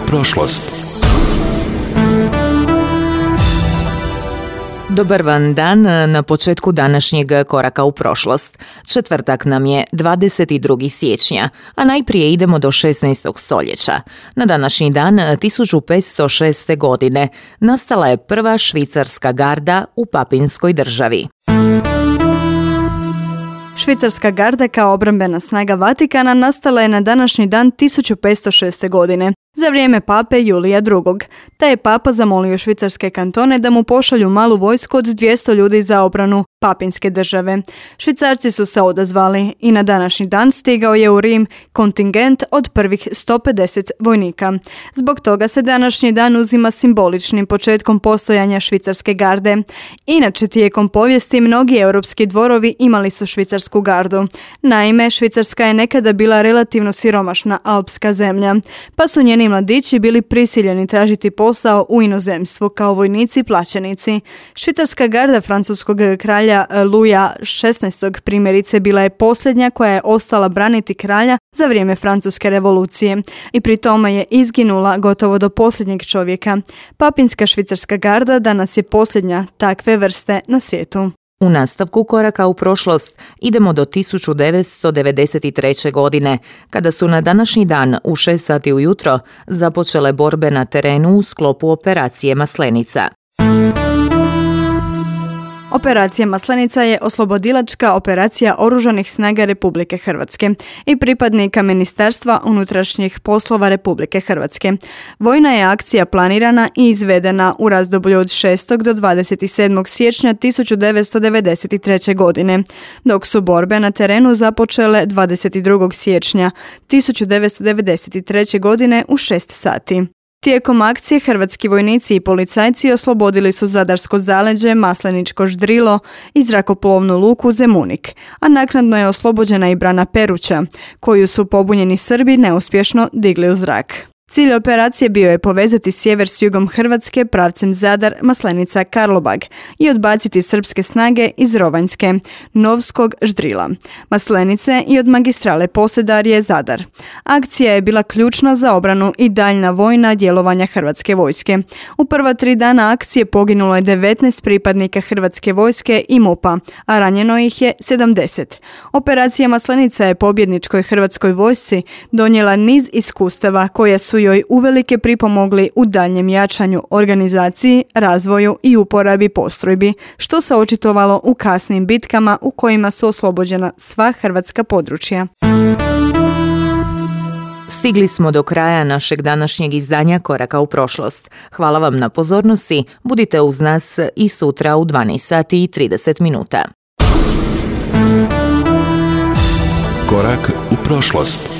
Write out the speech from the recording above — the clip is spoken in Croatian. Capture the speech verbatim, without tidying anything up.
prošlost. Dobar vam dan na početku današnjeg koraka u prošlost. Četvrtak nam je dvadeset drugog siječnja, a najprije idemo do šesnaestog stoljeća. Na današnji dan tisuću petsto šeste. godine nastala je prva švicarska garda u Papinskoj državi. Švicarska garda kao obrambena snaga Vatikana nastala je na današnji dan tisuću petsto šeste. godine, za vrijeme pape Julija drugog. Taj je papa zamolio švicarske kantone da mu pošalju malu vojsku od dvjesto ljudi za obranu Papinske države. Švicarci su se odazvali i na današnji dan stigao je u Rim kontingent od prvih sto pedeset vojnika. Zbog toga se današnji dan uzima simboličnim početkom postojanja švicarske garde. Inače, tijekom povijesti mnogi europski dvorovi imali su švicarsku gardu. Naime, Švicarska je nekada bila relativno siromašna alpska zemlja, pa su njeni mladići bili prisiljeni tražiti posao u inozemstvu kao vojnici plaćenici. Švicarska garda francuskog kralja Luja šesnaestog. primjerice bila je posljednja koja je ostala braniti kralja za vrijeme Francuske revolucije i pri tome je izginula gotovo do posljednjeg čovjeka. Papinska švicarska garda danas je posljednja takve vrste na svijetu. U nastavku koraka u prošlost idemo do tisuću devetsto devedeset treće. godine, kada su na današnji dan u šest sati ujutro započele borbe na terenu u sklopu operacije Maslenica. Operacija Maslenica je oslobodilačka operacija Oružanih snaga Republike Hrvatske i pripadnika Ministarstva unutrašnjih poslova Republike Hrvatske. Vojna je akcija planirana i izvedena u razdoblju od šestog do dvadeset sedmog siječnja tisuću devetsto devedeset treće. godine, dok su borbe na terenu započele dvadeset drugog siječnja tisuću devetsto devedeset treće. godine u šest sati. Tijekom akcije hrvatski vojnici i policajci oslobodili su Zadarsko zaleđe, Masleničko Ždrilo i zrakoplovnu luku Zemunik, a naknadno je oslobođena i brana Peruća, koju su pobunjeni Srbi neuspješno digli u zrak. Cilj operacije bio je povezati sjever s jugom Hrvatske pravcem Zadar, Maslenica, Karlobag i odbaciti srpske snage iz Rovanjske, Novskog Ždrila, Maslenice i od magistrale Posedarje Zadar. Akcija je bila ključna za obranu i daljna vojna djelovanja Hrvatske vojske. U prva tri dana akcije poginulo je devetnaest pripadnika Hrvatske vojske i MUP-a, a ranjeno ih je sedamdeset. Operacija Maslenica je pobjedničkoj Hrvatskoj vojsci donijela niz iskustava koja su joj uvelike pripomogli u daljnjem jačanju, organizaciji, razvoju i uporabi postrojbi, što se očitovalo u kasnim bitkama u kojima su oslobođena sva hrvatska područja. Stigli smo do kraja našeg današnjeg izdanja Koraka u prošlost. Hvala vam na pozornosti, budite uz nas i sutra u dvanaest sati i trideset minuta. Korak u prošlost.